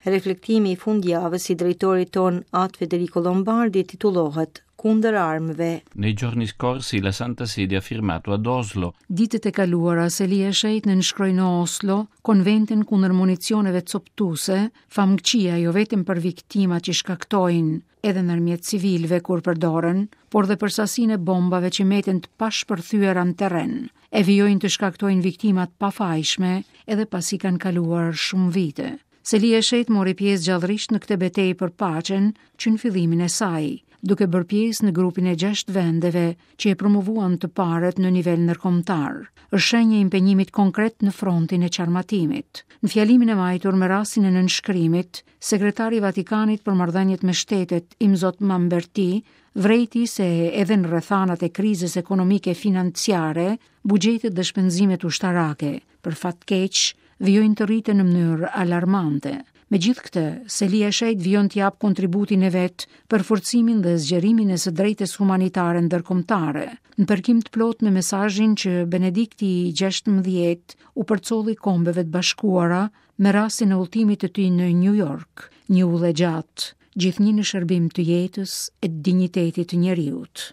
Reflektimi i fundjavës i drejtorit tonë At Federico Lombardi titullohet Kundër armëve. Nei giorni scorsi la Santa Sede ha firmato ad Oslo. Ditët e kaluara Selia e Shenjtë nënshkroi në Oslo konventën kundër municioneve copëtuese, famëkëqija jo vetëm për viktimat që shkaktojnë, edhe ndërmjet civilëve kur përdoren, por dhe për sasinë e bombave që meten të pashpërthyera në terren, e vijojnë të shkaktojnë viktima të pafajshme edhe pasi kanë kaluar shumë vite. Selia e Shenjtë mori pjesë gjallërisht në këtë betejë për paqen që në fillimin e saj, duke bërë pjesë në grupin e 6 vendeve që e promovuan të parët në nivel ndërkombëtar. Është shenjë e impenjimit konkret në frontin e çarmatimit. Në fjalimin e mbajtur me rastin e nënshkrimit, Sekretari i Vatikanit për marrëdhëniet me shtetet, Imzot Mamberti, vërejti se edhe në rrethanat e krizës ekonomike financiare, buxhetet dhe shpenzimet ushtarake, për fat keq, vijojnë të rriten në mënyrë alarmante. Megjithëkëtë, Selia e Shenjtë vijon të japë kontributin e vet për forcimin dhe zgjerimin e së drejtës humanitare ndërkombëtare, në përkim të plotë me mesazhin që Benedikti i 16 u përcolli Kombeve të Bashkuara me rastin e udhëtimit të tij në New York, një udhë e gjatë, gjithnjë në shërbim të jetës e dinjitetit të njeriut.